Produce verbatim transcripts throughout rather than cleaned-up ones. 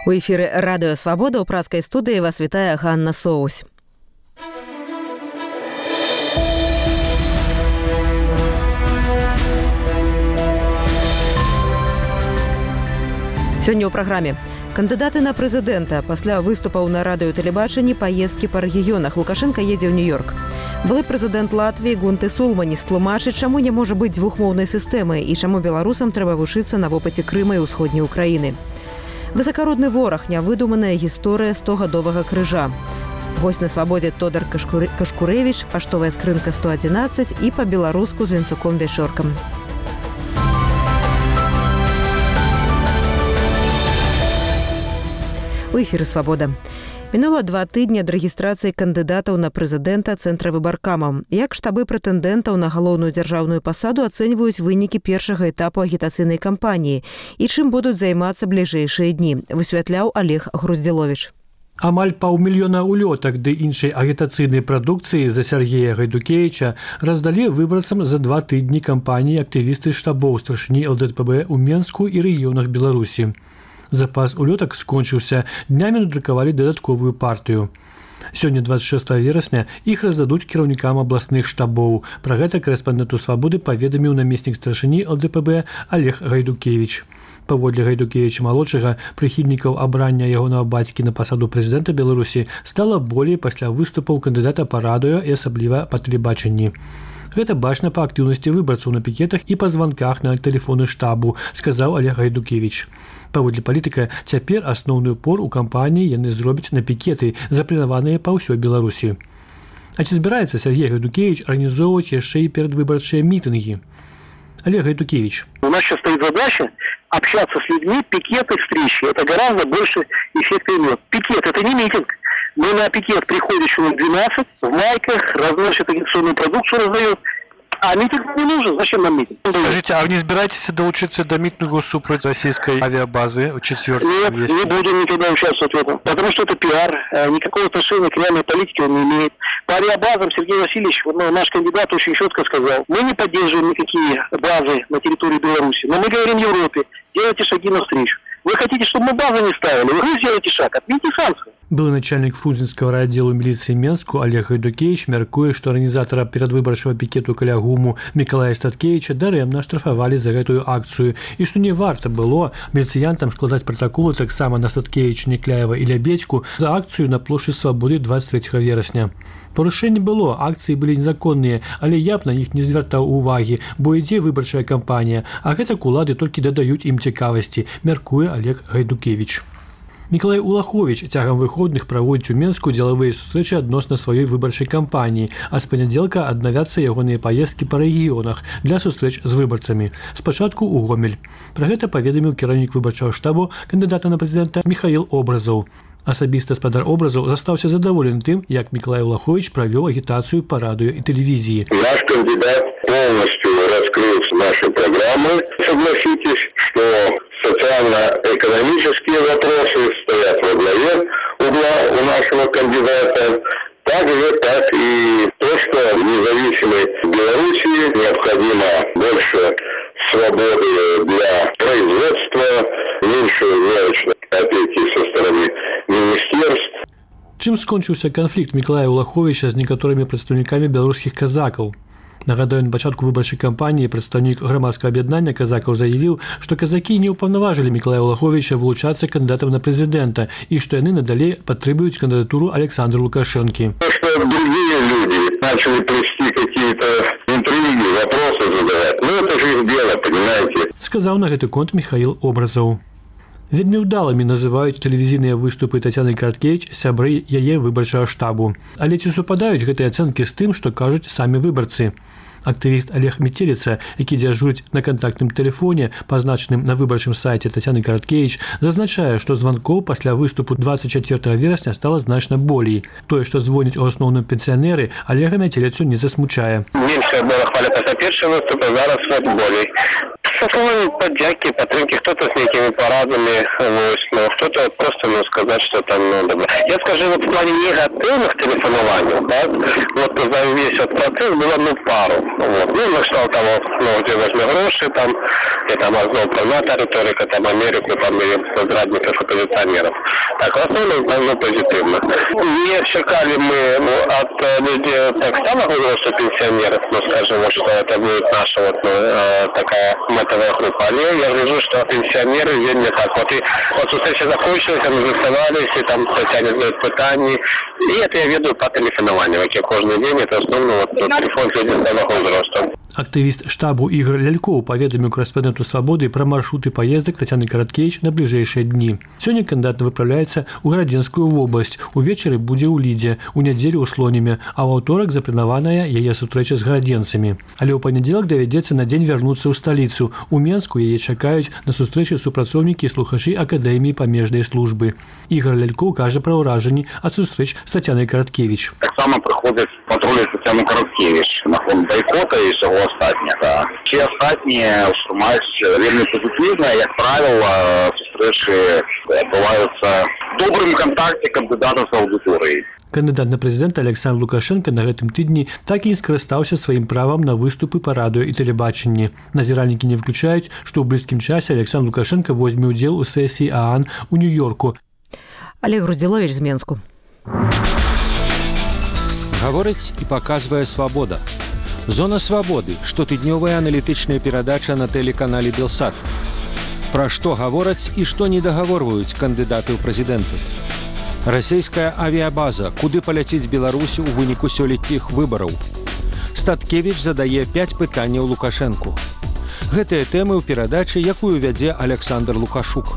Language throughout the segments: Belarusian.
У эфіры радыё Свабода ў праскай студыі вас вітае Ганна Соусь. Сёння ў праграме кандыдаты на прэзідэнта. Пасля выступаў на радыётэлебачанні паездкі па рэгіёнах. Лукашенка едзе ў Нью-Йорк. Былы прэзідэнт Латвіі Гунты Сулманіс тлумачыць, чаму не можа быць двухмоўнай сістэмы і чаму беларусам трэба вучыцца на вопыце Крыма і ўсходняй Украіны. Высакародны вораг, нявыдуманая гісторыя стогадовага крыжа. Госць на свабодзе Тодар Кашкурэвіч, паштовая скрынка сто адзінаццаць і па-беларуску з Венцуком Вячоркам. У эфіры «Свабода». Мінула два тыдні ад рэгістрацыі кандыдатаў на прэзідэнта цэнтра выбаркамаў. Як штабы прэтэндэнтаў на галоўную дзяржаўную пасаду ацэньваюць вынікі першага этапу агітацыйнай кампаніі і чым будуць займацца бліжэйшыя дні, высвятляў Олег Груздзіловіч. Амаль паўмільёна улётак ды іншай агітацыйнай прадукцыі за Сергея Гайдукевіча раздалі выбарцам за два тыдні кампаніі актывісты штабоў старшыні эл дэ пэ бэ ў Менску і рэгіёнах Беларусі. Запас улётак скончыўся, днямі надрукавалі дадатковую партыю. Сёння дваццаць шостага верасня іх раздадуць кіраўнікам абласных штабоў. Пра гэта корэспандэнту Свабоды паведаміў намеснік старшыні эл дэ пэ бэ Олег Гайдукевіч. Паводле Гайдукевіча-малодшага, прыхільнікаў абрання ягонага бацькі на пасаду прэзідэнта Беларусі стала болей пасля выступаў кандыдата па радыё і асабліва па тэлебачанні. Гэта бачна па актыўнасці выбарцаў на пікетах і па званках на тэлефоны штабу, сказаў Олег Гайдукевіч. Паводле палітыка, цяпер асноўны упор у кампаніі яны зробяць на пікеты, запланаваныя па ўсёй Беларусі. А ці збіраецца Сергей Гайдукевич арганізоўваць яшчэ і перадвыбарчыя мітынгі? Олег Гайдукевич. У нас сейчас стоит задача общаться с людьми, пикеты, встречи. Это гораздо больше эффекта имеет. Пикет – это не митинг. Мы на пикет приходим человек двенадцать, в майках, разносят агитационную продукцию, раздают. А митинг не нужен. Зачем нам митинг? Скажите, а вы не собираетесь доучиться до митингу супротив российской авиабазы четвёртой? Нет, вещи? Не будем никогда участвовать в этом. Потому что это пиар. Никакого отношения к реальной политике он не имеет. По авиабазам Сергей Васильевич, ну, наш кандидат, очень четко сказал. Мы не поддерживаем никакие базы на территории Беларуси. Но мы говорим Европе, делайте шаги навстречу. Вы хотите, чтобы мы базы не ставили? Вы сделаете шаг, отмените санкции. Былы начальник Фрунзенскага райаддзелу міліцыі Менску Олег Гайдукевич мяркуе, што арганізатара перадвыбарчага пікету каля гуму Мікалая Статкевіча дарэмна штрафавалі за гэтую акцыю і што не варта было міліцыянтам складаць пратаколы таксама на Статкевіча, Некляева і Лябедзьку за акцыю на плошчы Свабоды дваццаць трэцяга верасня. Парушэнне было, акцыі былі незаконныя, але я б на іх не звяртаў увагі, бо ідзе выбарчая кампанія, а гэтак улады толькі дадаюць ім цікавасці, мяркуе Олег Гайдукевич. Мікалай Улаховіч цягам выходных праводзіць у Менску дзелавыя сустрэчы адносна сваёй выбарчай кампаніі, а з панядзелка аднавяцца ягоныя паездкі па рэгіёнах для сустрэч з выбарцамі. Спачатку ў Гомель. Пра гэта паведаміў кіраўнік выбарчага штабу кандыдата на прэзідэнта Міхаіл Образаў. Асабіста спадар Образаў застаўся задаволены тым, як Мікалай Улаховіч правёў агітацыю па радыё і тэлевізіі. Наш кандидат полностью раскрыл наши программы. Согласитесь, что социально-экономические вопросы стоят во главе угла у нашего кандидата. Так же, так и то, что в независимой Белоруссии необходимо больше свободы для производства, меньше мелочной опеки со стороны министерств. Чым скончыўся канфлікт Мікалая Улаховіча з некаторымі прадстаўнікамі беларускіх казакаў? Нагадаю, на пачатку выбарчай кампаніі прадстаўнік грамадскага аб'яднання казакаў заявіў, што казакі не ўпаўнаважылі Мікалая Улаховіча вылучацца кандыдатам на прэзідэнта і што яны надалей падтрымліваюць кандыдатуру Александра Лукашэнкі. Что другие люди начали плести какие-то интриги, вопросы задавать. Ну, это же их дело, понимаете? Сказаў на гэты конт Міхаіл Образаў. Вельмі ўдалымі называюць тэлевізійныя выступы Тацяны Караткевіч сябры яе выбарчага штабу. Але ці супадаюць гэтыя ацэнкі з тым, што кажуць самі выбарцы? Актывіст Олег Метеліца, які дзяжурыць на кантактным тэлефоне, пазначаным на выбарчым сайце Тацяны Караткевіч, зазначае, што званкоў пасля выступу дваццаць чацвёртага верасня стала значна болей. Тое, што звоняць у асноўным пенсіянеры, Олега Метеліцу не засмучае. Меньше было хваля пасля першага выступа, зараз вот болей. Со словами поддяки, подтримки, кто-то с некими парадами, но кто-то просто, ну, сказать, что там, ну, добро. Я скажу, вот в плане негативных телефонований, да, вот за весь этот процесс было, ну, пару. Вот. Ну, на кшталт того, ну, где возьме гроши, там, и там знову приймати риторика, там, Америку, там, і зрадників, опозиціонерів. Так, в основному, ну, позитивно. Не чекали мы ну, от людей так самого возраста пенсионеров, ну, скажем, вот, что это будет наша вот, ну, такая метовая группа. Але я вижу, что пенсионеры вельми так. Вот, и вот встреча закончилась, они заставались, и там Татьяне задают питания. И это я веду по телефонованию, как я каждый день, это основно вот, телефон людей самого возраста. Актывіст штабу Ігор Лялькоў паведаміў корэспандэнту «Свабоды» пра маршруты паездак Тацяны Караткевіч на бліжэйшыя дні. Сёння кандыдат выпраўляецца ў Гарадзенскую вобласць, увечары будзе ў Лідзе, у нядзелю ў Слоніме, а ў аўторак запланаваная яе сустрэча з гарадзенцамі. Але ў панядзелак давядзецца на дзень вярнуцца ў сталіцу. У Менску яе чакаюць на сустрэчы супрацоўнікі і слухачы Акадэміі памежнай службы. Ігор Лялькоў кажа пра ўражанні ад сустрэч з Тацянай Караткевіч. Таксама прыходзяць патрулі Тацяны Караткевіч на фон байкота і ўсяго астатняга. Все астатнія маюць вельмі пазітыўныя, як правіла, сустрэчы адбываюцца в добрым кантакце кандыдата з аўдыторыяй. Кандыдат на прэзідэнта Александр Лукашенко на гэтым тыдні так і не скарыстаўся сваім правам на выступы па радыё і тэлебачанні. Назіральнікі не выключаюць, што ў блізкім часе Александр Лукашенко возьме ўдзел у сесіі ААН у Нью-Йорку. Олег Груздзіловіч з Менску. Гаворыць і паказвае «Свабода». Зона свабоды, штотыднёвая аналітычная перадача на тэлеканале «Белсат». Пра што гавораць і што не дагаворваюць кандыдаты ў прэзідэнты. Расійская авіябаза, куды паляціць Беларусь у выніку сёлетніх выбараў. Статкевіч задае пяць пытанняў Лукашэнку. Гэтыя тэмы ў перадачы, якую вядзе Александр Лукашук.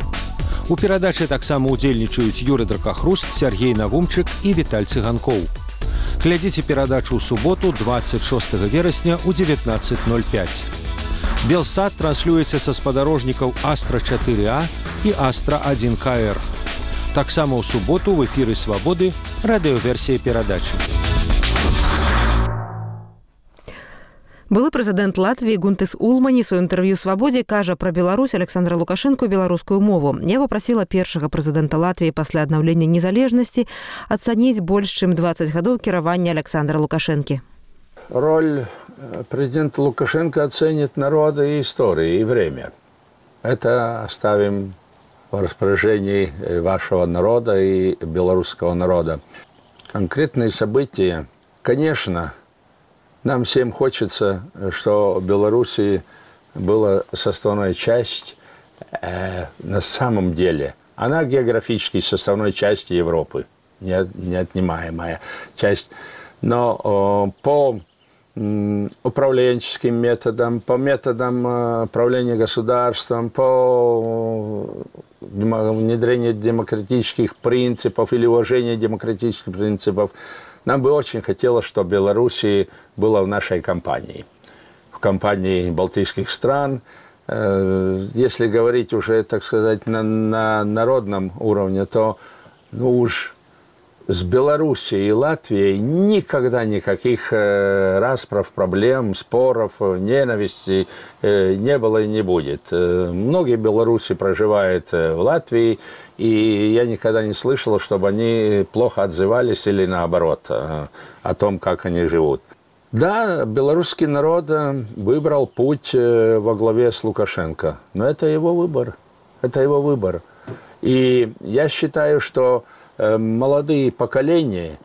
У перадачы таксама ўдзельнічаюць Юрый Дракахруст, Сергей Навумчык і Віталь Цыганкоў. Глядзіце перадачу ў суботу дваццаць шостага верасня ў дзевятнаццаць ноль пяць. Белсат транслюецца са спадарожнікаў Астра чатыры А і Астра адзін К Р. Таксама ў суботу ў эфіры «Свабоды» радыёверсія перадачы. Былы прэзідэнт Латвіі Гунтис Улманис у інтэрв'ю «Свабодзе» кажа пра Беларусь Александра Лукашэнку беларускую мову. Я папрасіла першага прэзідэнта Латвіі пасля аднаўлення незалежнасці ацаніць больш чым дваццаць гадоў кіравання Александра Лукашэнкі. Роль президента Лукашенко оценит народы и истории, и время. Это оставим в распоряжении вашего народа и белорусского народа. Конкретные события, конечно, нам всем хочется, что в Беларуси была составная часть, э, на самом деле, она географически составной части Европы, неотнимаемая часть. Но э, по э, управленческим методам, по методам э, управления государством, по э, внедрению демократических принципов или уважения демократических принципов, нам бы очень хотелось, чтобы Белоруссия была в нашей компании, в компании балтийских стран. Если говорить уже, так сказать, на, на народном уровне, то ну уж с Белоруссией и Латвией никогда никаких расправ, проблем, споров, ненависти не было и не будет. Многие белорусы проживают в Латвии, и я никогда не слышал, чтобы они плохо отзывались или наоборот о том, как они живут. Да, белорусский народ выбрал путь во главе с Лукашенко, но это его выбор. Это его выбор. И я считаю, что молодые поколения,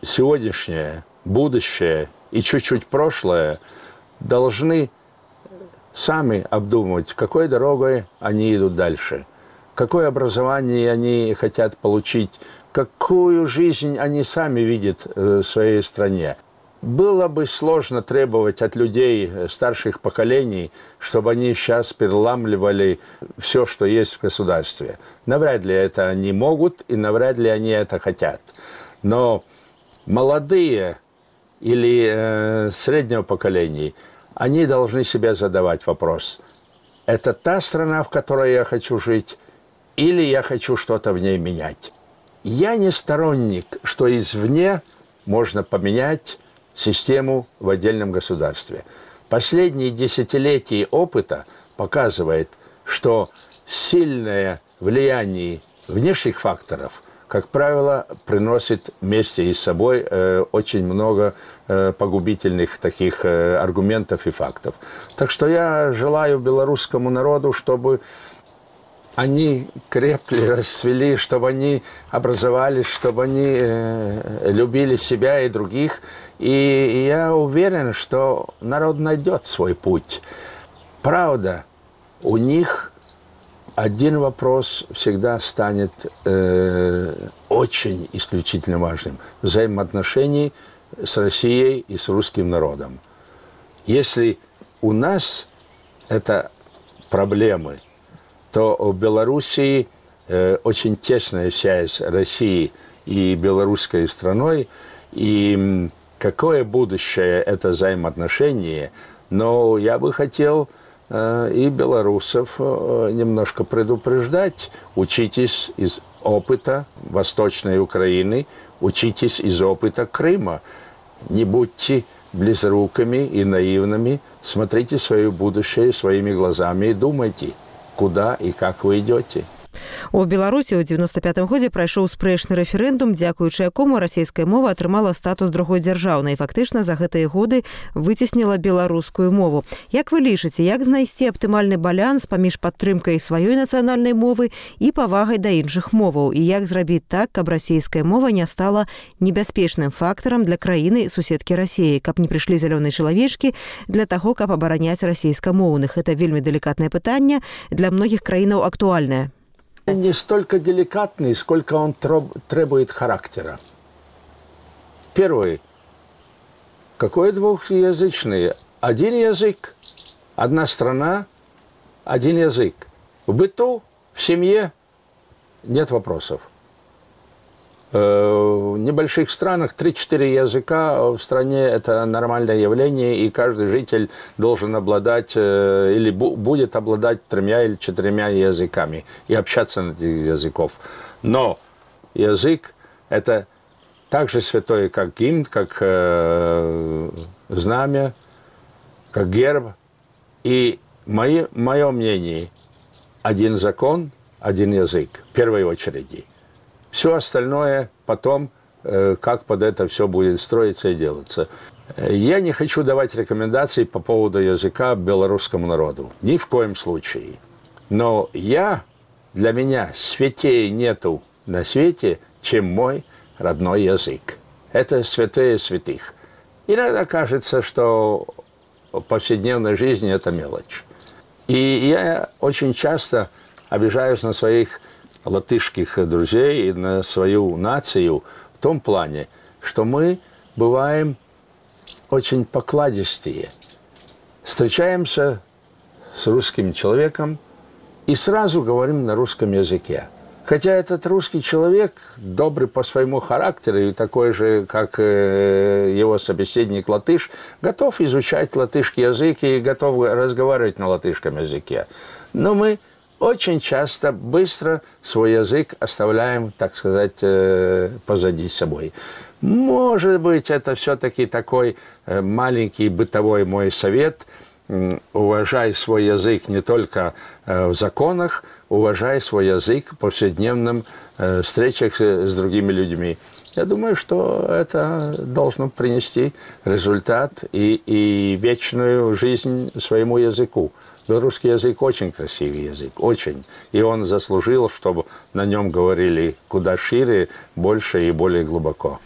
сегодняшнее, будущее и чуть-чуть прошлое, должны сами обдумывать, какой дорогой они идут дальше. Какое образование они хотят получить, какую жизнь они сами видят в своей стране. Было бы сложно требовать от людей старших поколений, чтобы они сейчас переламливали все, что есть в государстве. Навряд ли это они могут и навряд ли они это хотят. Но молодые или э, среднего поколения, они должны себе задавать вопрос. Это та страна, в которой я хочу жить, или я хочу что-то в ней менять? Я не сторонник, что извне можно поменять систему в отдельном государстве. Последние десятилетия опыта показывает, что сильное влияние внешних факторов как правило, приносит вместе и с собой э, очень много э, погубительных таких э, аргументов и фактов. Так что я желаю белорусскому народу, чтобы они крепли, расцвели, чтобы они образовались, чтобы они э, любили себя и других. И я уверен, что народ найдет свой путь. Правда, у них один вопрос всегда станет э, очень исключительно важным. Взаимоотношений с Россией и с русским народом. Если у нас это проблемы, то в Белоруссии э, очень тесная связь России и белорусской страной. И какое будущее это взаимоотношение, но я бы хотел э, и белорусов э, немножко предупреждать. Учитесь из опыта Восточной Украины, учитесь из опыта Крыма. Не будьте близорукими и наивными, смотрите свое будущее своими глазами и думайте, куда и как вы идете. У Беларусі ў девяносто пятым годзе прайшоў спрэчны рэферэндум, дзякуючы якому расійская мова атрымала статус другой дзяржаўнай і фактычна за гэтыя годы выцесніла беларускую мову. Як вы лічыце, як знайсці аптымальны баланс паміж падтрымкай сваёй нацыянальнай мовы і павагай да іншых моваў? І як зрабіць так, каб расійская мова не стала небяспечным фактарам для краіны суседкі Расіі, каб не прыйшлі зялёныя чалавечкі для таго, каб абараняць расійскамоўных? Это вельмі далікатнае пытанне, для многіх краінаў актуальнае. Не столько деликатный, сколько он требует характера. Первый. Какой двухязычный? Один язык, одна страна, один язык. В быту, в семье нет вопросов. В небольших странах три-четыре языка в стране – это нормальное явление, и каждый житель должен обладать или будет обладать тремя или четырьмя языками и общаться на этих языков. Но язык – это так же святое, как гимн, как э, знамя, как герб. И мое, мое мнение – один закон, один язык в первой очереди. Все остальное потом, как под это все будет строиться и делаться. Я не хочу давать рекомендаций по поводу языка белорусскому народу. Ни в коем случае. Но я, для меня святей нету на свете, чем мой родной язык. Это святые святых. Иногда кажется, что в повседневной жизни это мелочь. И я очень часто обижаюсь на своих латышских друзей и на свою нацию в том плане, что мы бываем очень покладистые. Встречаемся с русским человеком и сразу говорим на русском языке. Хотя этот русский человек, добрый по своему характеру и такой же, как его собеседник латыш, готов изучать латышский язык и готов разговаривать на латышском языке. Но мы очень часто быстро свой язык оставляем, так сказать, позади собой. Может быть, это все-таки такой маленький бытовой мой совет. Уважай свой язык не только в законах, уважай свой язык в повседневных встречах с другими людьми. Я думаю, что это должно принести результат и, и вечную жизнь своему языку. Белорусский язык очень красивый язык, очень. И он заслужил, чтобы на нем говорили куда шире, больше и более глубоко.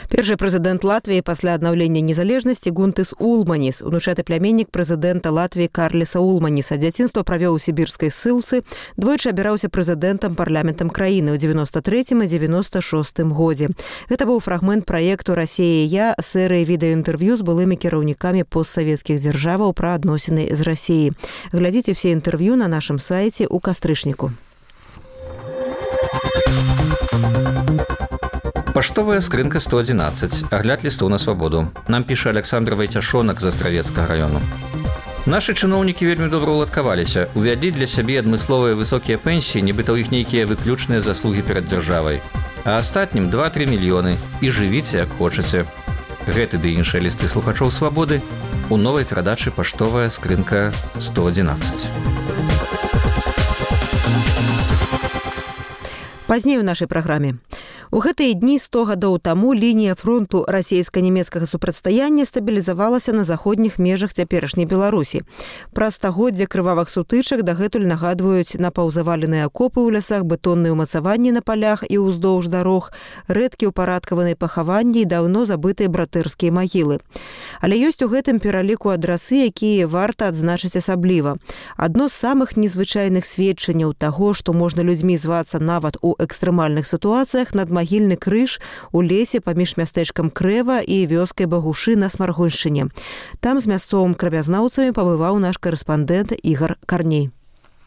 Першы прэзідэнт Латвіі пасля аднаўлення незалежнасці Гунтыс Улманіс, унучаты пляменнік прэзідэнта Латвіі Карліса Улманіса. Дзяцінства правёў у сібірскай ссылцы, двойчы абіраўся прэзідэнтам парламентам краіны ў девяносто третьем і девяносто шостым годзе. Гэта быў фрагмент праекту «Расія і я» серыі відэаінтэрв'ю з былымі кіраўнікамі постсавецкіх дзяржаваў пра адносіны з Расіяй. Глядзіце все інтэрв'ю на нашым сайце ў кастрычніку. Паштовая скрынка сто одиннадцать. Агляд лістоў на свабоду. Нам піша Александр Вайцяшонак з Астравецкага раёну. Нашы чыноўнікі вельмі добра ўладкаваліся. Увялі для сябе адмысловыя высокія пенсіі, нібыта ў іх нейкія выключныя заслугі перад дзяржавай. А астатнім два-тры мільёны. І жывіце, як хочаце. Гэты ды іншыя лісты слухачоў свабоды у новай перадачы «Паштовая скрынка сто одиннадцать». Пазней у нашай праграме. У гэтыя дні сто гадоў таму лінія фронту расійска-нямецкага супрацьстаяння стабілізавалася на заходніх межах цяперашняй Беларусі. Пра стагоддзе крывавых сутычак дагэтуль нагадваюць напаўзаваленыя акопы ў лясах, бетонныя ўмацаванні на палях і ўздоўж дарог, рэдкі ўпарадкаваныя пахаванні і даўно забытыя братэрскія магілы. Але ёсць у гэтым пераліку адрасы, якія варта адзначыць асабліва. Адно з самых незвычайных сведчанняў таго, што можна людзьмі звацца нават у экстрэмальных сітуацыях, надмагільны крыж у лесе паміж мястэчкам Крэва і вёскай Багушы на Смаргоншчыне. Там з мясцовым краязнаўцамі пабываў наш карэспандэнт Ігар Карней.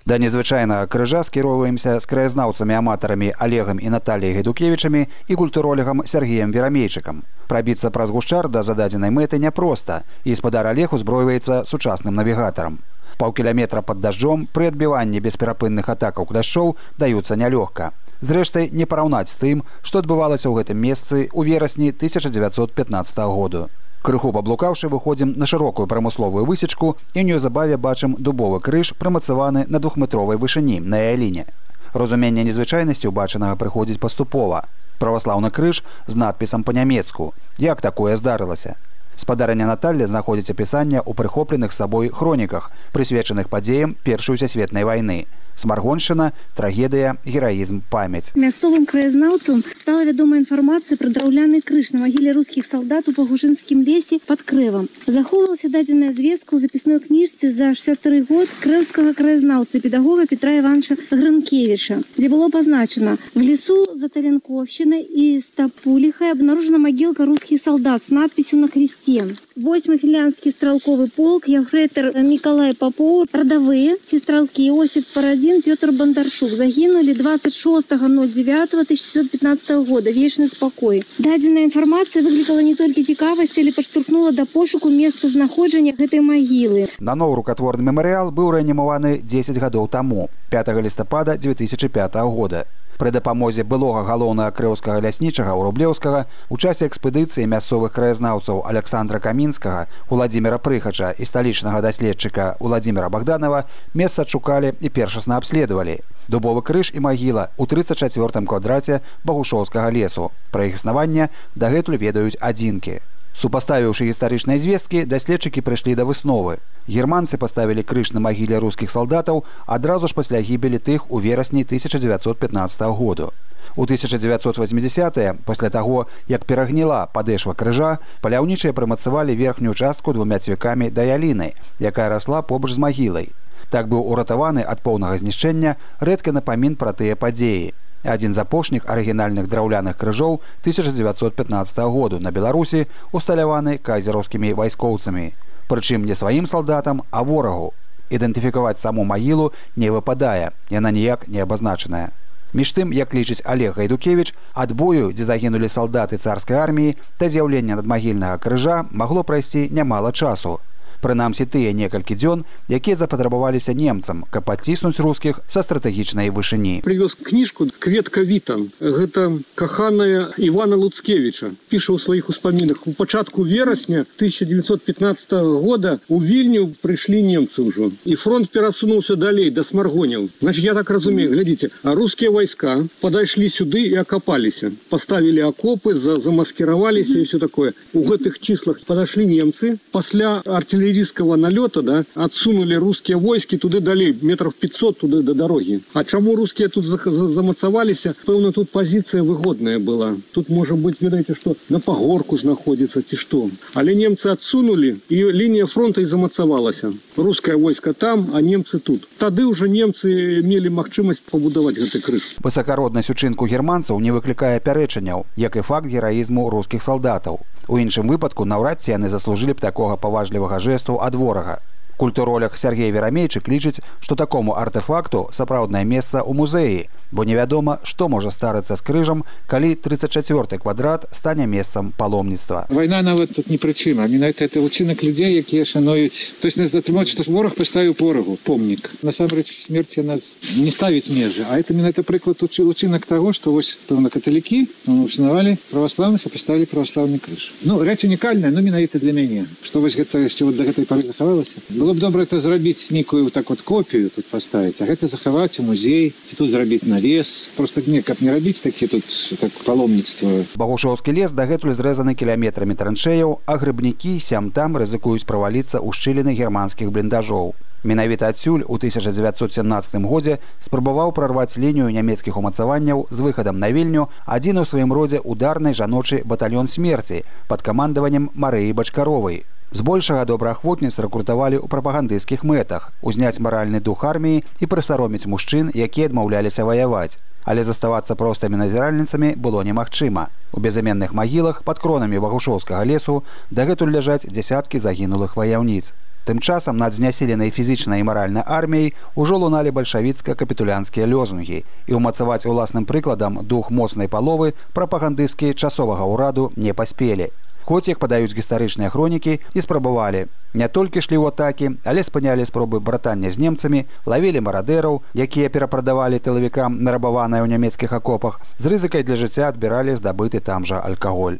Да незвычайнага крыжа скіроўваемся з краязнаўцамі-аматарамі Олегам і Наталіяй Гайдукевічамі і культуролегам Сергеем Верамейчыкам. Прабіцца праз гушчар да зададзенай мэты няпроста, і спадар Олег узброіваецца сучасным навігатарам. Паўкіляметра пад дажджом пры адбіванні бесперапынных атакаў кляшчоў даюцца нялёгка. Зрэшты, не параўнаць з тым, што адбывалася ў гэтым месцы ў верасні тысяча дзевяцьсот пятнаццатага году. Крыху паблукаўшы, выходзім на шырокую прамысловую высечку і неўзабаве бачым дубовы крыж, прымацаваны на двухметровай вышыні на яліне. Разуменне незвычайнасці ўбачанага прыходзіць паступова. Праваслаўны крыж з надпісам па-нямецку. Як такое здарылася? Спадарыня Наталля знаходзіць апісанне ў прыхопленых сабой хроніках, прысвечаных падзеям Першай сусветнай вайны. Смаргоншчына, трагедыя, гераізм, памяць. Мясцовым краязнаўцам стала вядома інфармацыя пра драўляны крыж на магіле рускіх салдат у Пагушынскім лесе пад Крэвам. Захоўвалася дадзеная звестка ў запісной кніжцы за шэсцьдзясят тры год крэўскага краязнаўцы педагога Петра Івановича Грынкевіча, дзе было пазначана: в лесу за Таленковщиной и Стапулихой обнаружена могилка русских солдат с надписью на кресте. Восьмый финляндский стрелковый полк, ефрейтор Николай Попов, родовые, сестралки Иосиф Парадин, Петр Бондарчук загинули двадцать шестого ноль девятого тысяча девятьсот пятнадцатого года. Вечный спокой. Даденная информация выкликала не только цікавасць, але падштурхнула да пошуку места знаходжання гэтай магілы. На новый рукотворный мемориал быў рэанімаваны дзесяць гадоў таму, пятага лістапада дзве тысячы пятага года. Пры дапамозе былога галоўнага крэўскага ляснічага ў Рублеўскага у часе экспедыцыі мясцовых краязнаўцаў Александра Камінскага, Уладзіміра Прыхача і сталічнага даследчыка Уладзіміра Богданова месца адшукалі і першасна абследавалі. Дубовы крыж і магіла ў трыццаць чацвёртым квадраце Багушоўскага лесу. Пра іх існаванне дагэтуль ведаюць адзінкі. Супаставіўшы гістарычныя звесткі, даследчыкі прыйшлі да высновы. Германцы паставілі крыж на магіле рускіх салдатаў адразу ж пасля гібелі тых у верасні тысяча дзевяцьсот пятнаццатага году. У тысяча дзевяцьсот восьмідзесятыя, пасля таго, як перагніла падэшва крыжа, паляўнічыя прымацавалі верхнюю частку двума цвікамі да яліны, якая расла побач з магілай. Так быў уратаваны ад поўнага знішчэння рэдкі напамін пра тыя падзеі. Адзін з апошніх арыгінальных драўляных крыжоў тысяча дзевяцьсот пятнаццатага году на Беларусі усталяваны кайзераўскімі вайскоўцамі. Прычым не сваім салдатам, а ворагу. Ідэнтыфікаваць саму магілу не выпадае, яна ніяк не абазначаная. Між тым, як лічыць Олег Гайдукевіч, ад бою, дзе загінулі салдаты царскай арміі, да з'яўлення надмагільнага крыжа магло прайсці нямала часу. Прынамсі тыя некалькі дзён, якія запатрабаваліся немцам, каб адціснуць рускіх са стратэгічнай вышыні. Прывёз кніжку «Кветка Вітан». Гэта каханая Івана Луцкевіча. Піша ў сваіх успамінах. У пачатку верасня тысяча девятьсот пятнадцатого года у Вільню прыйшлі немцы ўжо. І фронт перасунуўся далей, да Смаргоняў. Значит, я так разумею, глядзіце, а рускія вайска падайшлі сюды і акапаліся. Паставілі акопы, замаскіраваліся і все такое. У гэтых числах падашлі немцы. Пасля артиллерии артиллерийского налета, да, отсунули русские войски туды далей, метров пятьсот туды до дороги. А чему русские тут замацавались? Пэўна, тут позиция выгодная была. Тут, может быть, видите, что на пагорку находится, ці что. Але немцы отсунули, и линия фронта и замацавалась. Русское войско там, а немцы тут. Тады уже немцы имели магчымасць пабудаваць гэты крыж. Высакароднасць учынку германцаў не выклікае пярэчанняў, як і факт гераізму рускіх салдатаў. У іншым выпадку наўрад ці яны заслужылі б такога паважлівага жэсту ад ворага. Культуролог Сергей Верамейчык лічыць, што такому артефакту сапраўднае месца ў музеі, бо невядома, што можа старыцца з крыжам, калі тридцать четвёрты квадрат стане месцам паломніцтва. Вайна нават тут не прычым, а менавіта это учынак людзей, якія шануюць. То есть нас затрымаць, што вораг паставіў ворагу помнік. Насамрэч смерць нас не ставіць межы, а это менавіта прыклад учынак таго, што вось пэўна каталікі устанавалі праваслаўных і паставілі праваслаўны крыж. Ну, рэч унікальная, но менавіта для мяне, што вось гэта яшчэ вот да гэтай пары захавалася. Было Было б добра это зрабіць нейкую так вот копію тут паставіць, а гэта захаваць у музей, ці тут зрабіць навес. Просто не, каб не рабіць такі тут так паломніцтва. Багушоўскі лес дагэтуль зрэзаны кіламетрамі траншэяў, а грыбнікі сям-там рызыкуюць праваліцца ў шчыліны германскіх бліндажоў. Менавіта адсюль у тысяча дзевяцьсот сямнаццатым годзе спрабаваў прарваць лінію нямецкіх умацаванняў з выхадам на Вільню адзін у сваім родзе ударны жаночы батальён смерці пад камандаваннем Марыі Бачкаровай. Збольшага добраахвотніц рэкрутавалі ў прапагандысцкіх мэтах, узняць маральны дух арміі і прысароміць мужчын, якія адмаўляліся ваяваць. Але заставацца простымі назіральніцамі было немагчыма. У безыменных магілах пад кронамі Багушоўскага лесу дагэтуль ляжаць дзясяткі загінулых ваяўніц. Тым часам над знясіленай фізічнай і маральнай арміяй ужо луналі бальшавіцка-капітулянскія лёзунгі, і ўмацаваць уласным прыкладам дух моцнай паловы прапагандысцкія часовага ўраду не паспелі. Хоць, як падаюць гістарычныя хронікі, і спрабавалі. Не толькі шлі ў атакі, але спынялі спробы братання з немцамі, лавілі марадэраў, якія перапрадавалі тылавікам нарабаваныя ў нямецкіх акопах, з рызыкай для жыцця адбіралі здабыты там жа алкаголь.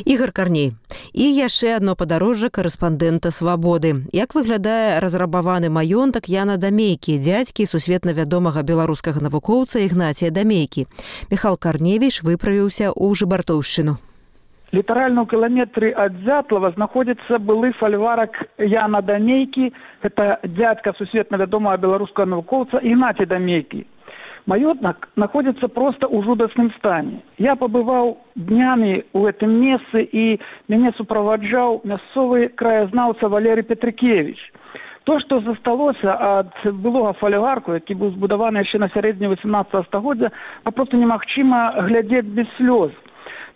Ігор Карней. І яшчэ адно падарожжа карэспандэнта «Свабоды». Як выглядае разрабаваны маёнтак Яна Дамейкі, дзядзькі сусветна вядомага беларускага навукоўца Ігнація Дамейкі. Міхал Карневіч выправіўся ў Жыбартоўшчыну. Літаральна ў кіламетры ад Дзятлава знаходзіцца былы фальварак Яна Дамейкі. Гэта дзядзька сусветна вядомага беларускага навукоўца Ігнація Дамейкі. Маёнтак находится просто ў жудасным стане. Я побываў днямі ў гэтым месцы, і мяне суправаджаў мясцовы краязнаўца Валерый Петрыкевич. То, што засталося ад былога фальварку, які быў збудаваны яшчэ на сярэдзіне васемнаццатага стагоддзя, папросту немагчыма глядзець без слёз.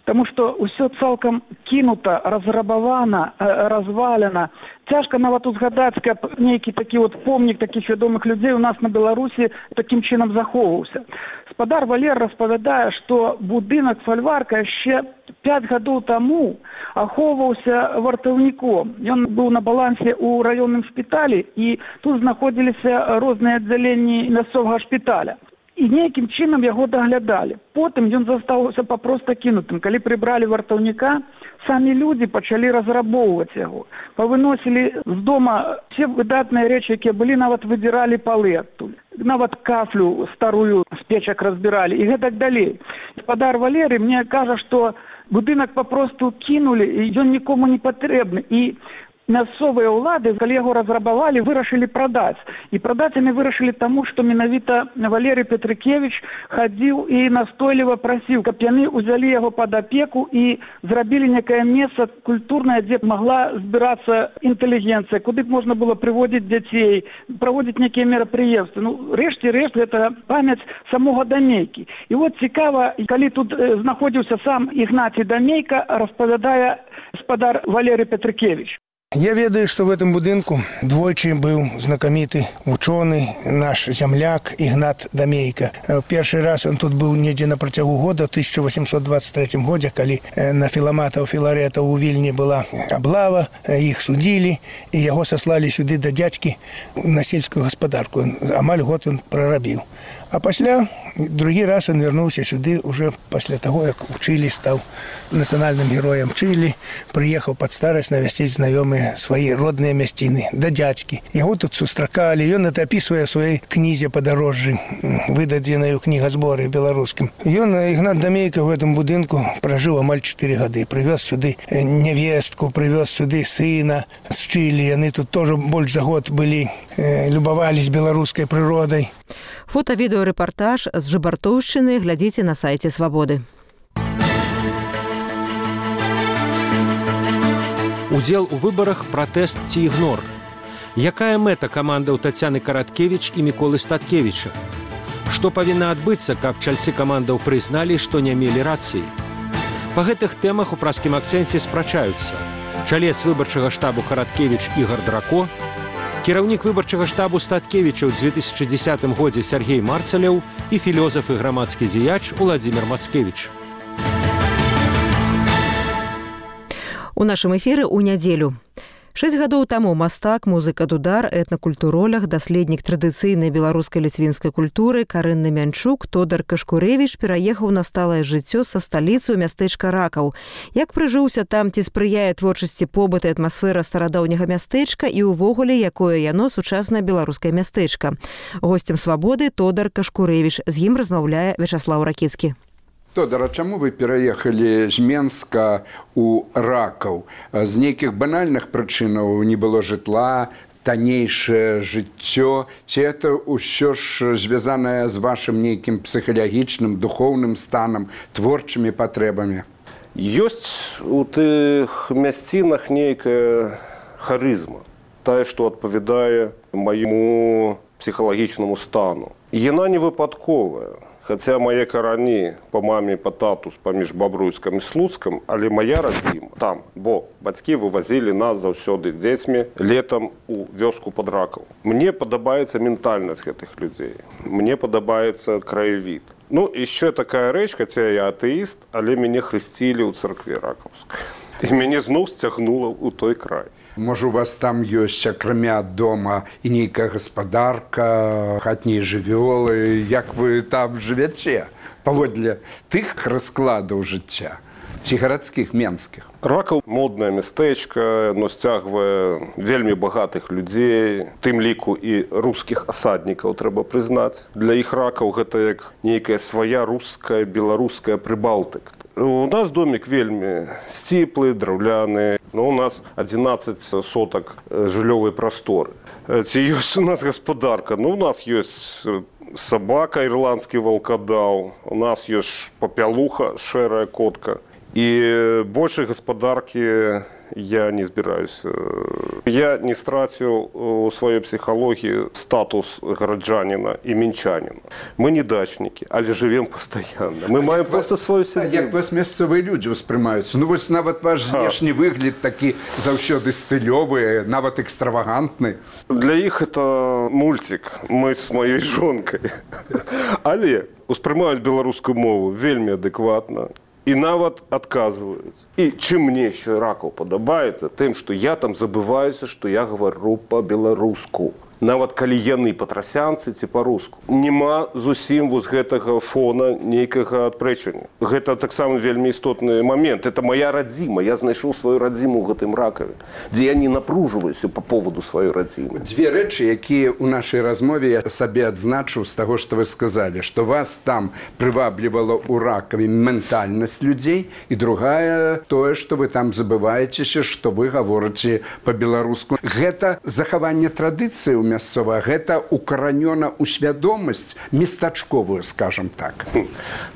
Таму што ўсё цалкам кінута, разрабавана, развалена. Цяжка нават узгадаць, каб нейкі такі от помнік такіх вядомых людзей у нас на Беларусі такім чынам захоўваўся. Спадар Валер распавядае, што будынак фальварка яшчэ пяць гадоў таму ахоўваўся вартаўніком. Ён быў на балансе ў раённым шпіталі, і тут знаходзіліся розныя аддзяленні мясцовага шпіталя. І нейкім чынам яго даглядалі. Потым ён застаўся папроста кінутым. Калі прыбралі вартаўніка, самі людзі пачалі разрабоўваць яго. Павыносілі з дома все выдатныя рэчы, якія былі, нават выдзіралі палы адтуль. Нават кафлю старую з печак разбіралі і гэтак далей. Спадар Валерый мне кажа, што будынак папросту кінулі, і ён нікому не патрэбны. І мясцовыя ўлады, калі яго разрабавалі, вырашылі прадаць. І прадаць яны вырашылі таму, што менавіта Валерый Петрыкевич хадзіў і настойліва прасіў, каб яны ўзялі яго пад апеку і зрабілі некае месца культурнае, дзе магла збірацца інтэлігенцыя, куды б можна было прыводзіць дзяцей, праводзіць нейкія мерапрыемствы. Ну, рэшце рэшт, гэта памяць самога Дамейкі. І от цікава, калі тут знаходзіўся сам Ігнацій Дамейка, распавядае спадар Валерый Петрыкевич. Я ведаю, что в этом будынку двойчы был знакомитый ученый, наш земляк Игнат Дамейка. Первый раз он тут был недзе на протягу года, в тысяча восемьсот двадцать третьем году, когда на филаматов Филарета у Вильни была облава, их судили, и его сослали сюда до дядьки на сельскую господарку. Амаль год он прорабил. А пасля, другі раз он вернулся сюда уже после того, как учили, стал национальным героем Чили, приехал под старость навестить знакомые свои родные мясціны, да дядьки. Его тут сустракали, и он это описывая в своей книзе «Подорожжи», выдадзенной у книгосборе белорусским. И он, Игнат Дамейка, в этом будинку прожил амаль четыре года. Привез сюда невестку, привез сюда сына с Чили. Они тут тоже больше за год были, э, любовались белорусской природой. Фота-відэорэпартаж з Жыбартоўшчыны глядзіце на сайце «Свабоды». Удзел у выбарах, пратэст ці ігнор. Якая мэта камандаў Тацяны Караткевіч і Міколы Статкевіча? Што павінна адбыцца, каб чальцы камандаў прызналі, што не мелі рацыі? Па гэтых тэмах у праскім акцэнце спрачаюцца чалец выбарчага штабу Караткевіч Ігар Драко, кіраўнік выбарчага штабу Статкевіча ў дзве тысячы дзесятым годзе Сергей Марцаляў і філёзаф і грамадскі дзеяч Уладзімір Мацкевіч. У нашым эфіры ў нядзелю. Шэсць гадоў таму мастак, музыка дудар, этнакультуролог, даследнік традыцыйнай беларускай ліцвінскай культуры Карынны Мянчук Тодар Кашкурэвіч пераехаў на сталае жыццё са сталіцы ў мястэчка Ракаў. Як прыжыўся там, ці спрыяе творчасці побыт і атмасфера старадаўняга мястэчка і ўвогуле, якое яно сучаснае беларускае мястэчка. Госцем «Свабоды» Тодар Кашкурэвіч. З ім размаўляе Вячаслаў Ракіцкі. Тодар, а чаму вы пераехалі з Менска ў Ракаў? З нейкіх банальных прычынаў не было жытла, таннейшае жыццё, ці это ўсё ж звязанае з вашым нейкім псіхалагічным, духоўным станам, творчымі патрэбамі? Ёсць у тых мясцінах нейкая харызма, тая, што адпавядае майму псіхалагічнаму стану. Яна не выпадковая. Хаця мае карані па маме, па тату паміж Бабруйскам і Слуцкам, але мая радзіма там, бо бацькі вывазілі нас заўсёды дзецьмі летам у вёску пад Ракаў. Мне падабаецца ментальнасць гэтых людзей. Мне падабаецца краявід. Ну, яшчэ такая рэч, хаця я атэіст, але мяне хрысцілі ў царкве Ракаўскай. І мяне зноў сцягнула ў той край. Можа, у вас там ёсць, акрамя дома, і нейкая гаспадарка, хатнія жывёлы. Як вы там жывяце паводле тых раскладаў жыцця, ці гарадскіх, менскіх? Ракаў моднае мястэчка, яно сцягвае вельмі багатых людзей, тым ліку і рускіх асаднікаў, трэба прызнаць. Для іх Ракаў гэта як нейкая свая руская, беларуская Прыбалтыка. У нас домик вельмі сціплы, драўляны, но у нас адзінаццаць сотак жыллёвай прасторы. Ці ёсць у нас гаспадарка? Ну, у нас ёсць сабака, ірландскі валкадаў, у нас ёсць папялуха, шэрая котка. І большай гаспадаркі я не збіраюся. Я не страціў у сваёй псіхалогіі статус гараджаніна і мінчаніна. Мы не дачнікі, але жывем пастаянна. Мы маем проста сваю сядзібу. Як вас мясцовыя людзі ўспрымаюцца? Ну, вось нават ваш знешні выгляд такі заўсёды стылёвы, нават экстравагантны. Для іх это мульцік. Мы з маёй жонкай. Але ўспрымаюць беларускую мову вельмі адэкватна. І нават адказваюць. І чым мне ще Ракаў падабаецца, тым, што я там забываюся, што я гавару па-беларуску. Нават калі яны патрасянцы ці па-руску. Нема зусім вось гэтага фона нейкага адпрэчання. Гэта таксама вельмі істотны момент. Это моя радзіма. Я знайшоў сваю радзіму ў гэтым Ракаве, дзе я не напружваюся па поводу сваёй радзімы. Дзве рэчы, якія ў нашай размове я сабе адзначыў з таго, што вы сказалі, што вас там прываблівала ў Ракаве ментальнасць людзей, і другая тое, што вы там забываецеся, што вы гаворыце па-беларуску. Гэта захаванне традыцыі мясцовая, гэта укаранёна ў свядомасць местачковую, скажам так.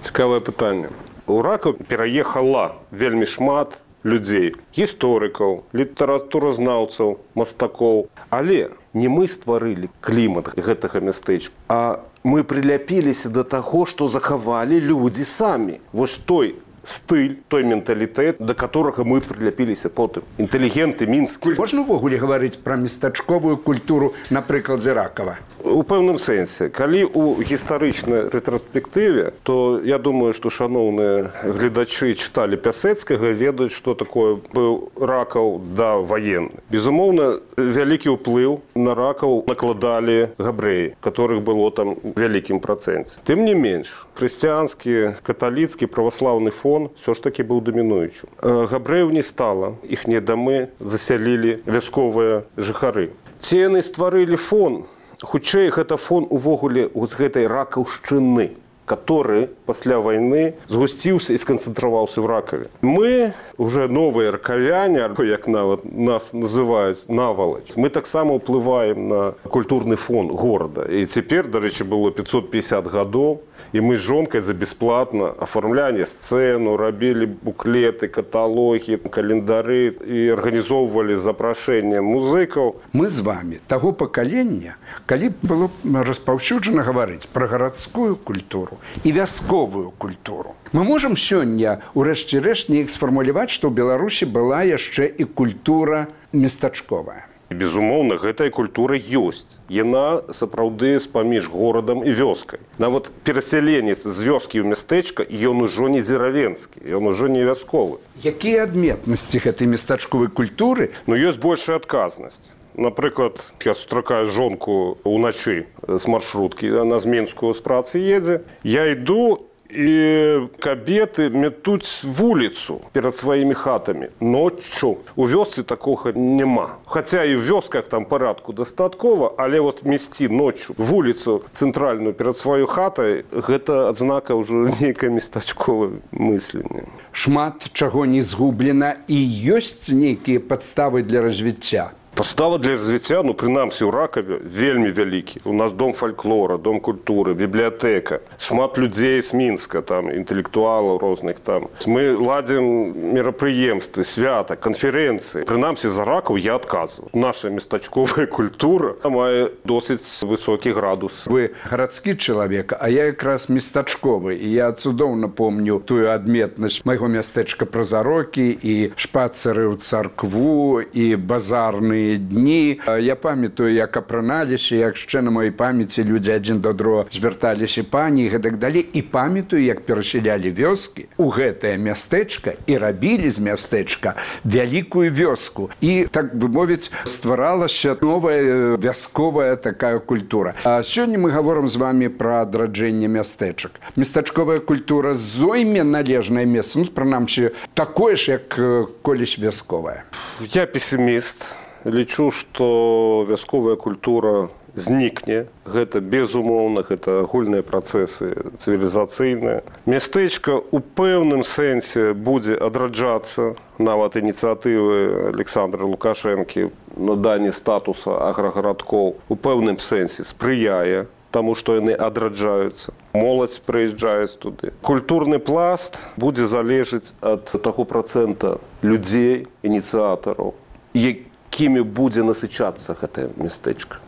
Цікавае пытанне. У Ракаў пераехала вельмі шмат людзей, гісторыкаў, літаратуразнаўцаў, мастакоў. Але не мы стварылі клімат гэтага мястэчка, а мы прыляпіліся да таго, што захавалі людзі самі. Вось той стыль, той менталітэт, да которага мы прыляпіліся потым. Інтэлігенты, мінскі. Можна ўвогуле гаварыць пра местачковую культуру на прыкладзе Ракава? У пэўным сэнсе. Калі ў гістарычнай рэтраспектыве, то я думаю, што шаноўныя гледачы чыталі Пясэцкага, ведаюць, што такое быў Ракаў да ваенны. Безумоўна, вялікі ўплыў на Ракаў накладалі габрэі, которых было там вялікім працэнце. Тым не менш, хрысціянскі, каталіцкі, праваслаўны фон все ж таки быў дамінуючым. Габрэяў не стала, іхнія дамы засялілі вясковыя жыхары. Ці яны стварылі фон, хутчэй гэта фон увогуле з гэтай ракаўшчыны, который пасля вайны згусціўся і сканцэнтраваўся ў Ракаве. Мы, уже новыя ракавяне, як нават нас называюць, навалач, мы таксама ўплываем на культурны фон горада. І цяпер, дарэчы, было пятьсот пятьдесят гадоў, і мы з жонкай за бесплатна афармлялі сцэну, рабілі буклеты, каталогі, календары і арганізоўвалі запрашэнне музыкаў. Мы з вами таго пакалення, калі было распаўсюджана гаварыць пра гарадскую культуру і вясковую культуру. Мы можам сёння, урэшце рэшт, неяк сфармуляваць, што ў Беларусі была яшчэ і культура местачковая. І, безумоўна, гэтая культура ёсць. Яна сапраўды з-паміж горадам і вёскай. Нават перасяленец з вёскі ў мястэчка, ён ужо не дзеравенскі, ён ужо не вясковы. Якія адметнасці гэтай местачковай культуры? Ну, ёсць большая адказнасць. Напрыклад, я сустракаю жонку ўначы з маршруткі, яна з Мінскую з працы едзе. Я іду, і кабеты метуць вуліцу перад сваімі хатамі ноччу. У вёсцы такога няма. Хаця і ў вёсках там парадку дастаткова, але вот месці ноччу вуліцу цэнтральную перад сваёй хатай, гэта адзнака ўжо нейкае местачковае мысленне. Шмат чаго не згублена і ёсць нейкія падставы для развіцця. Пастава для развіцця, ну, прынамсі, ў Ракаве вельмі вялікі. У нас дом фальклора, дом культуры, бібліятэка. Шмат людзей з Мінска, там, інтэлектуалаў розных там. Мы ладзім мерапрыемствы, свята, канферэнцыі. Прынамсі, за Ракаў я адказваю. Наша местачковая культура мае досыць высокі градус. Вы гарадскі чалавек, а я якраз местачковы. І я цудоўна помню тую адметнасць майго мястэчка Празарокі і шпацары ў царкву, і базарны дні. Я памятаю, як апраналіся, як яшчэ на маёй памяці людзі адзін да другога звярталіся пані і гэтак далей. І памятаю, як перасялялі вёскі ў гэтае мястэчка і рабілі з мястэчка вялікую вёску. І, так бы мовіць, стваралася новая вясковая такая культура. А сёння мы гаворым з вами пра адраджэнне мястэчак. Местачковая культура зойме належнае месца, ну, прынамсі, такое ж, як колісь вясковая. Я пессіміст. Лічу, што вясковая культура знікне. Гэта безумоўна, гэта агульныя працэсы цывілізацыйныя. Мястэчка ў пэўным сэнсе будзе адраджацца, нават ініцыятывы Александра Лукашэнкі наданні статуса аграгарадкоў у пэўным сэнсе спрыяе таму, што яны адраджаюцца. Моладзь прыязджаюць туды. Культурны пласт будзе залежыць ад таго працэнта людзей, ініцыятараў, якімі будзе насычацца гэтае мястэчка.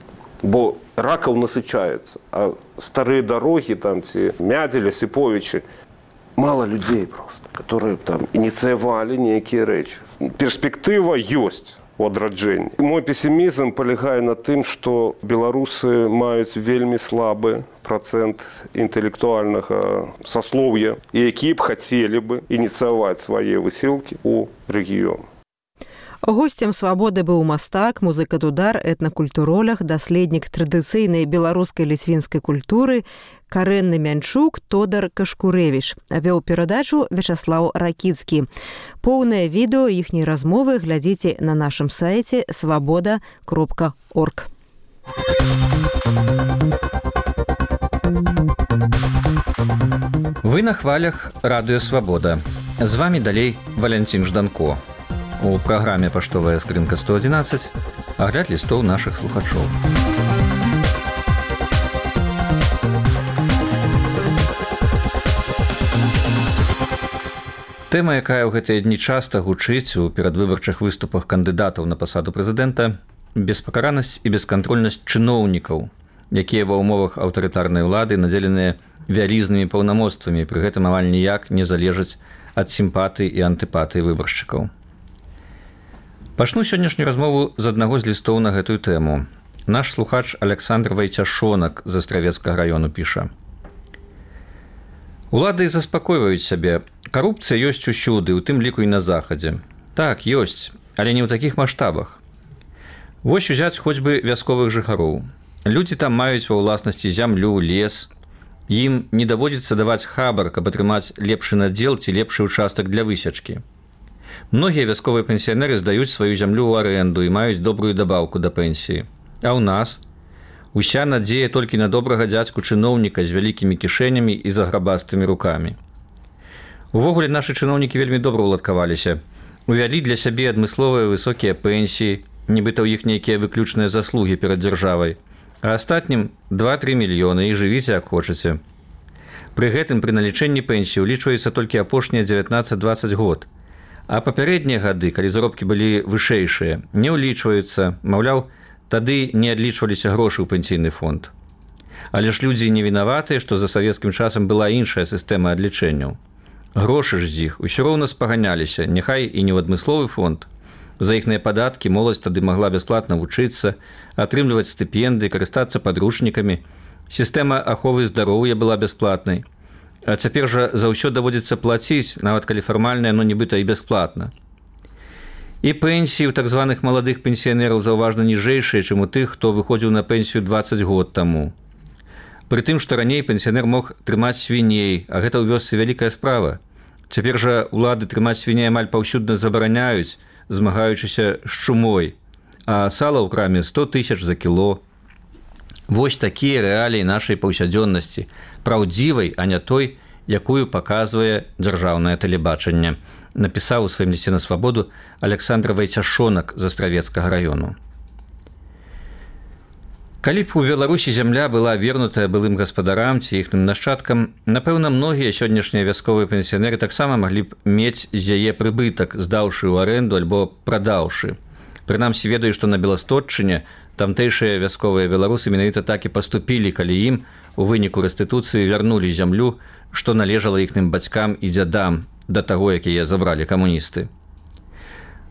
Бо Ракаў насычаецца, а старыя дарогі, там, ці Мядзеля, Сіповічы, мала людзей проста, которые там ініцыявалі нейкія рэчы. Перспектыва ёсць у адраджэнні. Мой песімізм палягае на тым, што беларусы маюць вельмі слабы працэнт інтэлектуальнага саслоўя, і якія б хацелі бы ініцыяваць свае высілкі ў рэгіён. Госцем «Свабоды» быў мастак, музыка дудар, этнакультуролог, даследнік традыцыйнай беларускай ліцвінскай культуры, карэнны мянчук Тодар Кашкурэвіч. Вёў перадачу Вячаслаў Ракіцкі. Поўнае відэо іхняй размовы глядзіце на нашым сайце свабода кропка орг. Вы на хвалях радыё «Свабода». З вамі далей Валянцін Жданко. У праграме «Паштовая скрынка сто адзінаццаць» агляд лістоў нашых слухачоў. Тэма, якая ў гэтыя дні часта гучыць у перадвыбарчых выступах кандыдатаў на пасаду прэзідэнта – беспакаранасць і бескантрольнасць чыноўнікаў, якія ва ўмовах аўтарытарнай улады надзеленыя вялізнымі паўнамоцтвамі, пры гэтым амаль ніяк не залежаць ад сімпатыі і антыпатыі выбаршчыкаў. Пачну сённяшнюю размову з аднаго з лістоў на гэтую тэму. Наш слухач Александр Вайцяшонак з Астравецкага раёну піша. Улады заспакойваюць сябе. Карупцыя ёсць усюды, у тым ліку і на захадзе. Так, ёсць, але не ў такіх маштабах. Вось узяць хоць бы вясковых жыхароў. Людзі там маюць ва ўласнасці зямлю, лес. Ім не даводзіцца даваць хабар, каб атрымаць лепшы надзел ці лепшы ўчастак для высечкі. Многія вясковыя пенсіянеры здаюць сваю зямлю ў арэнду і маюць добрую дабаўку да пенсіі. А ў нас уся надзея толькі на добрага дзядзьку чыноўніка з вялікімі кішэнямі і заграбастымі рукамі. Увогуле нашы чыноўнікі вельмі добра ўладкаваліся. Увялі для сябе адмысловыя высокія пенсіі, нібыта ў іх нейкія выключныя заслугі перад дзяржавай. А астатнім два-тры мільёны і жывіце як хочаце. Пры гэтым пры налічэнні пенсіі ўлічваецца толькі апошнія дзевятнаццаць-дваццаць год. А папярэднія гады, калі заробкі былі вышэйшыя, не ўлічваюцца, маўляў, тады не адлічваліся грошы ў пенсійны фонд. Але ж людзі не вінаватыя, што за савецкім часам была іншая сістэма адлічэнняў. Грошы ж з іх усё роўна спаганяліся, няхай і не ў адмысловы фонд, За іхныя падаткі моладзь тады магла бясплатна вучыцца, атрымліваць стыпендыі, карыстацца падручнікамі. Сістэма аховы здароўя была бясплатнай. А цяпер жа за ўсё даводзіцца плаціць, нават калі фармальна яно нібыта і бясплатна. І пенсіі ў так званых маладых пенсіянераў заўважна ніжэйшыя, чым у тых, хто выходзіў на пенсію дваццаць год таму. Пры тым, што раней пенсіянер мог трымаць свіней, а гэта ў вёсцы вялікая справа. Цяпер жа ўлады трымаць свіней амаль паўсюдна забараняюць, змагаючыся з чумой, а сала ў краме сто тысяч за кіло. Вось такія рэаліі нашай паўсядзённасці, праўдзівай, а не той, якую паказвае дзяржаўнае тэлебачанне, напісаў у сваім лісце на свабоду Александр Вайцяшонак з Астравецкага раёну. Калі б у Беларусі зямля была вернутая былым гаспадарам ці іхным нашчадкам, напэўна, многія сённяшнія вясковыя пенсіянеры таксама маглі б мець з яе прыбытак, здаўшы ў арэнду альбо прадаўшы. Прынамсі ведаю, што на Беластотчыне тамтэйшыя вясковыя беларусы менавіта так і паступілі, калі ім у выніку рэстытуцыі вярнулі зямлю, што належала іхным бацькам і дзядам да таго, якія забралі камуністы.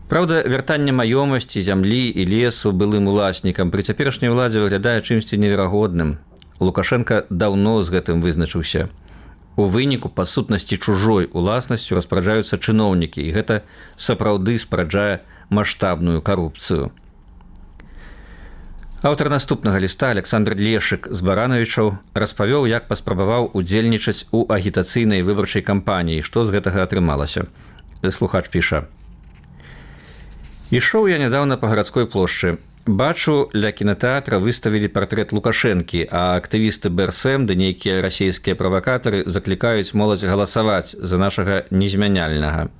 Праўда, вяртанне маёмасці, зямлі і лесу былым уласнікам пры цяперашняй уладзе выглядае чымсьці неверагодным. Лукашенка даўно з гэтым вызначыўся. У выніку па сутнасці чужой уласнасцю распараджаюцца чыноўнікі, і гэта сапраўды спараджае маштабную карупцыю. Аўтар наступнага ліста Александр Лешык з Баранавічаў распавёў, як паспрабаваў удзельнічаць у агітацыйнай выбарчай кампаніі, што з гэтага атрымалася. Слухач піша: «Ішоў я нядаўна па гарадской плошчы. Бачу, ля кінатэатра выставілі партрэт Лукашэнкі, а актывісты БРСМ ды нейкія расійскія правакатары заклікаюць моладзь галасаваць за нашага незмяняльнага.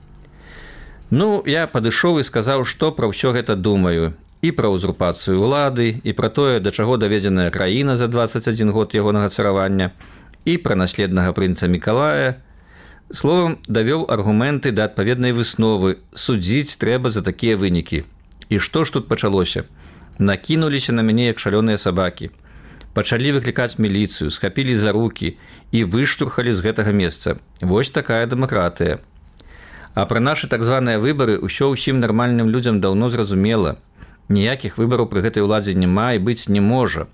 Ну, я падышоў і сказаў, што пра ўсё гэта думаю. І пра ўзурпацыю ўлады, і пра тое, да чаго даведзеная краіна за дваццаць адзін год ягонага царавання, і пра наследнага прынца Мікалая. Словам, давёў аргументы да адпаведнай высновы. Судзіць трэба за такія вынікі. І што ж тут пачалося? Накінуліся на мяне, як шалёныя сабакі. Пачалі выклікаць міліцыю, схапілі за рукі і выштурхалі з гэтага месца. Вось такая дэмакратыя. А пра нашы так званыя выбары ўсё ўсім нармальным людзям даўно зразумела. Ніякіх выбараў пры гэтай уладзе няма і быць не можа.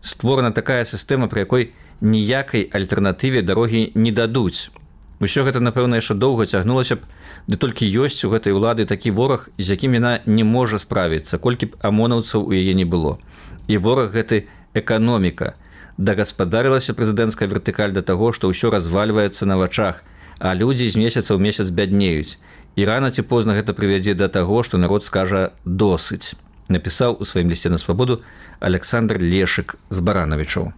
Створана такая сістэма, пры якой ніякай альтэрнатыве дарогі не дадуць. Усё гэта, напэўна, яшчэ доўга цягнулася б, ды толькі ёсць у гэтай улады такі вораг, з якім яна не можа справіцца, колькі б амонаўцаў у яе не было. І вораг гэты эканоміка. Дагаспадарылася прэзідэнцкая вертыкаль да таго, што ўсё развальваецца на вачах, а людзі з месяца ў месяц бяднеюць. І рана ці позна гэта прывядзе да таго, што народ скажа «досыць», напісаў у сваім лісце на свабоду Александр Лешык з Баранавічаў.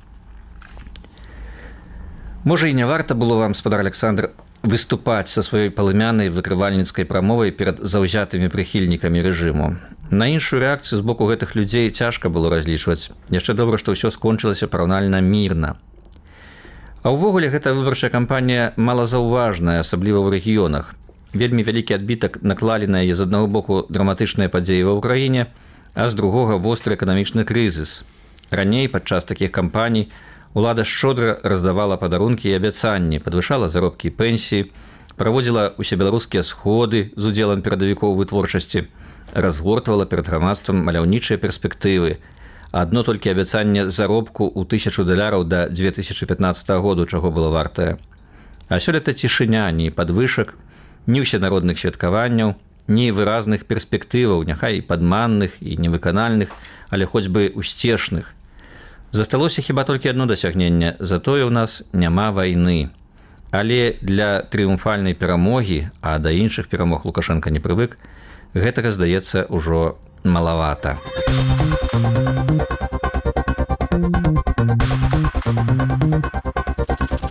Можа, і не варта было вам, спадар Александр, выступаць са сваёй палымянай выкрывальніцкай прамовай перад заўзятымі прыхільнікамі рэжыму. На іншую рэакцыю з боку гэтых людзей цяжка было разлічваць. Яшчэ добра, што ўсё скончылася параўнальна мірна. А ўвогуле гэта выбарчая кампанія малазаўважная, асабліва ў рэгіёнах. Вельмі вялікі адбітак наклалі на яе з аднаго боку драматычныя падзеі ва ўкраіне, а з другога востры эканамічны крызіс. Раней падчас такіх кампаній улада шчодра раздавала падарункі і абяцанні, падвышала заробкі і пенсіі, праводзіла усебеларускія сходы з удзелам перадавікоў вытворчасці, разгортвала перад грамадствам маляўнічыя перспектывы. Адно толькі абяцанне заробку ў тысячу даляраў да дзве тысячы пятнаццатага году, чаго было вартае. А сёлета цішыня, ні падвышак, ні ўсенародных святкаванняў, ні выразных перспектываў, няхай і падманных, і невыканальных, але хоць бы усцешных. Засталося хіба толькі адно дасягненне, затое ў нас няма вайны. Але для трыумфальнай перамогі, а да іншых перамог Лукашенка не прывык, гэтага, здаецца, ужо малавата.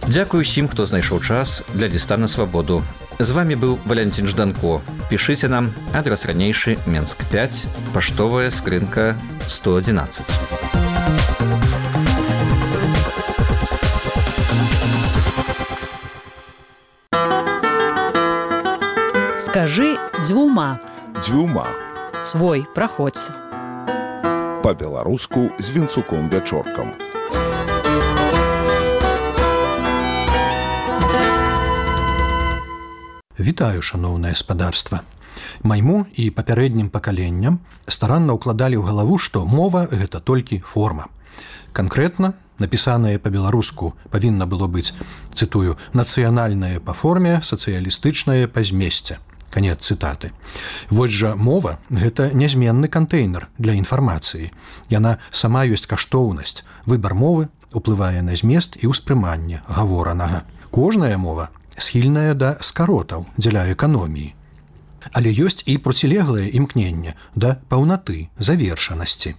Дзякую усім, хто знайшоў час для ліста на свабоду. З вами быў Валянцін Жданко. Пішыце нам, адрас ранейшы, Менск пяць, паштовая скрынка сто адзінаццаць. Скажи дзвюма. Дзвюма. Свой, праходзь. Па-беларуску з Вінцуком Вячоркам. Вітаю, шаноўнае спадарства. Майму і папярэднім пакаленням старанна ўкладалі ў галаву, што мова – гэта толькі форма. Канкрэтна, напісанае па-беларуску павінна было быць, цытую, «нацыянальнае па форме, сацыялістычнае па змесце». Канец цытаты. Вось жа мова – гэта нязменны кантэйнер для інфармацыі. Яна сама ёсць каштоўнасць. Выбар мовы уплывае на змест і ўспрыманне гаворанага. Кожная мова схільная да скаротаў дзеля эканоміі. Але ёсць і процілеглае імкненне да паўнаты, завершанасці.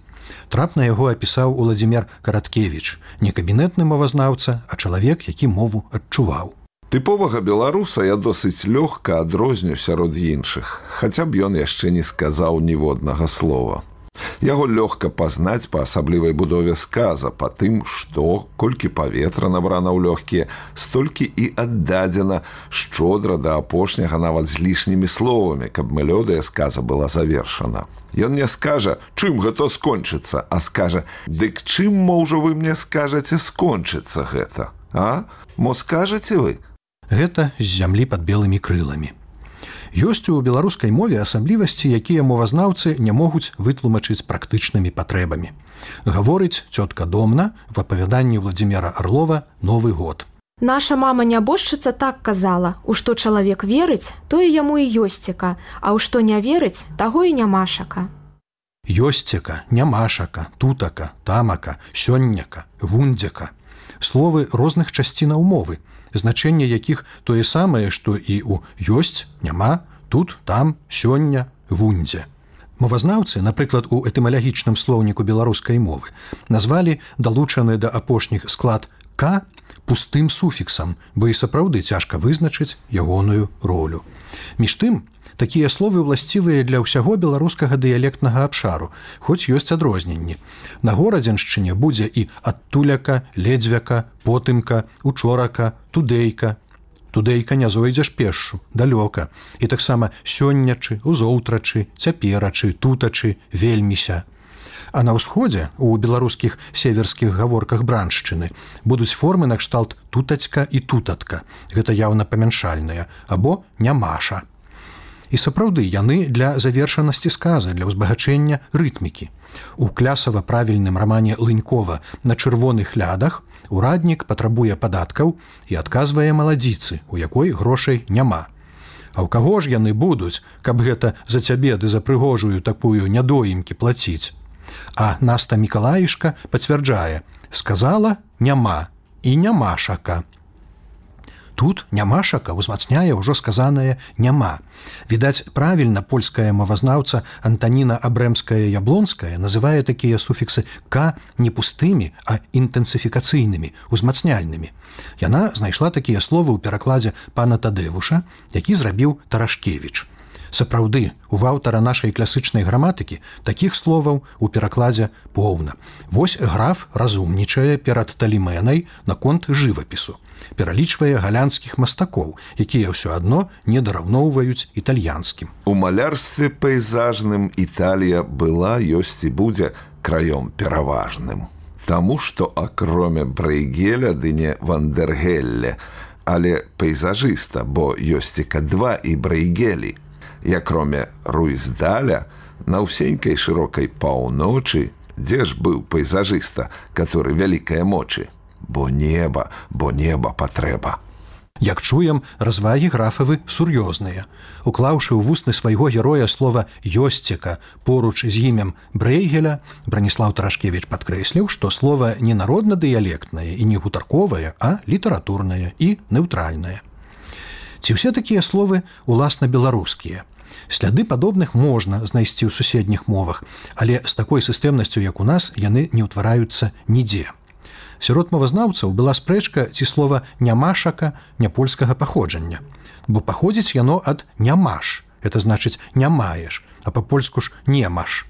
Трапна яго апісаў Уладзімір Караткевіч, не кабінетны мовазнаўца, а чалавек, які мову адчуваў. Тыповага беларуса я досыць лёгка адрозню сярод іншых, хаця б ён яшчэ не сказаў ніводнага слова. Яго лёгка пазнаць па асаблівай будове сказа, па тым, што, колькі паветра набрана ў лёгкія, столькі і аддадзена шчодра да апошняга нават з лішнімі словамі, каб мелодыя сказа была завершана. Ён не скажа, чым гэта скончыцца, а скажа, дык чым, можа, вы мне скажаце скончыцца гэта, а? Мо скажаце вы? Гэта з зямлі пад белымі крыламі. Ёсць у беларускай мове асаблівасці, якія мовазнаўцы не могуць вытлумачыць практычнымі патрэбамі. Гаворыць цётка Домна в апавяданні Владзіміра Арлова «Новы год». Наша мама-нябожчыца так казала, у што чалавек верыць, тое яму і ёсцека, а ў што не верыць, таго і нямашака. Ёсцека, нямашака, тутака, тамака, сённяка, вундзяка. Словы розных часцінаў мовы, значэнне якіх тое самае, што і ў ёсць, няма, тут, там, сёння, вундзе. Мовазнаўцы, напрыклад, у этымалагічным слоўніку беларускай мовы, назвалі далучаны да апошніх склад «к» пустым суфіксам, бо і сапраўды цяжка вызначыць ягоную ролю. Між тым, такія словы ўласцівыя для ўсяго беларускага дыялектнага абшару, хоць ёсць адрозненні. На горадзеншчыне будзе і адтуляка, ледзьвяка, потымка, учорака, тудейка. Тудейка не зойдзеш пешшу, далёка. І таксама сённячы, узоўтрачы, цяперачы, тутачы, вельміся. А на ўсходзе, у беларускіх северскіх гаворках браншчыны, будуць формы накшталт тутацька і тутатка. Гэта яўна памяншальныя, або нямаша. І сапраўды яны для завершанасці сказа, для ўзбагачэння рытмікі. У клясава-правільным рамане Лынькова «На чырвоных лядах» ураднік патрабуе падаткаў і адказвае маладзіцы, у якой грошай няма. А ў каго ж яны будуць, каб гэта за цябе ды за прыгожую такую нядоімкі плаціць? А Наста Мікалаішка пацвярджае: сказала няма і нямашака. Тут нямашака ўзмацняе ўжо сказанае няма. Відаць, правільна польская мовазнаўца Антаніна Абрэмская-Яблонская называе такія суфіксы «к» не пустымі, а інтэнсіфікацыйнымі, узмацняльнымі. Яна знайшла такія словы ў перакладзе пана Тадэвуша, які зрабіў Тарашкевіч. Сапраўды, у аўтара нашай класычнай граматыкі такіх словаў у перакладзе поўна. Вось граф разумнічае перад Талімэнай наконт жывапісу. Пералічвае галянскіх мастакоў, якія ўсё адно не дараўноўваюць італьянскім. У малярстве пейзажным Італія была, ёсць і будзе краём пераважным. Таму, што акроме Брейгеля ды не Вандергелле, але пейзажыста, бо ёсць і Ка-два і Брейгелі. І акроме Руйздаля, на ўсенькай шырокай паўночы, дзе ж быў пейзажыста, который вялікае мочы? Бо неба, бо неба патрэба. Як чуем, развагі графавы сур'ёзныя. Уклаўшы ў вусны свайго героя слова «ёсцека» поруч з імем Брейгеля, Браніслаў Тарашкевіч падкрэсліў, што слова не народна-дыялектнае і не гутарковае, а літаратурнае і неўтральнае. Ці ўсе такія словы уласна беларускія? Сляды падобных можна знайсці ў суседніх мовах, але з такой сістэмнасцю, як у нас, яны не ўтвараюцца нідзе. Сярод мовазнаўцаў была спрэчка, ці слова «нямашака» няпольскага паходжання, бо паходзіць яно ад «нямаш», это значыць «не маеш», а па-польску ж «немаш».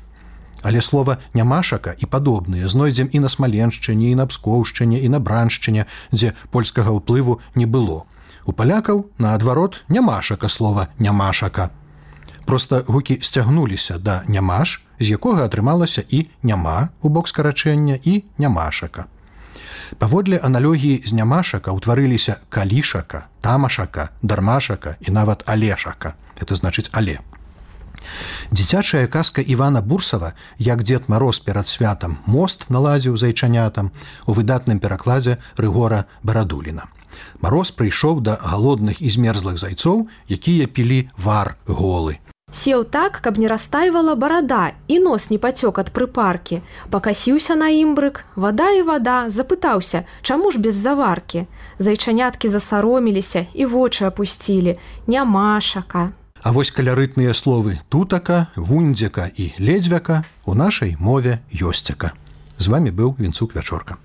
Але слова «нямашака» і падобныя знойдзем і на Смаленшчыне, і на Пскоўшчыне, і на Браншчыне, дзе польскага ўплыву не было. У палякаў, наадварот, нямашака слова «нямашака». Проста гукі сцягнуліся да «нямаш», з якога атрымалася і «няма» у бок скарачэння, і «нямашака». Паводле аналогіі з нямашака ўтварыліся калішака, тамашака, дармашака і нават алешака. Это значыць але. Дзіцячая казка Івана Бурсава, як Дзед Мароз перад святам мост наладзіў зайчанятам, у выдатным перакладзе Рыгора Барадуліна. Мароз прыйшоў да галодных і змерзлых зайцоў, якія пілі вар голы. Сеў так, каб не растайвала барада і нос не пацёк ад прыпаркі. Пакасіўся на імбрык, вада і вада, запытаўся, чаму ж без заваркі. Зайчаняткі засароміліся і вочы апусцілі. Нямашака. А вось калярытныя словы тутака, вундзяка і ледзьвяка у нашай мове ёсцяка. З вамі быў Вінцук Вячорка.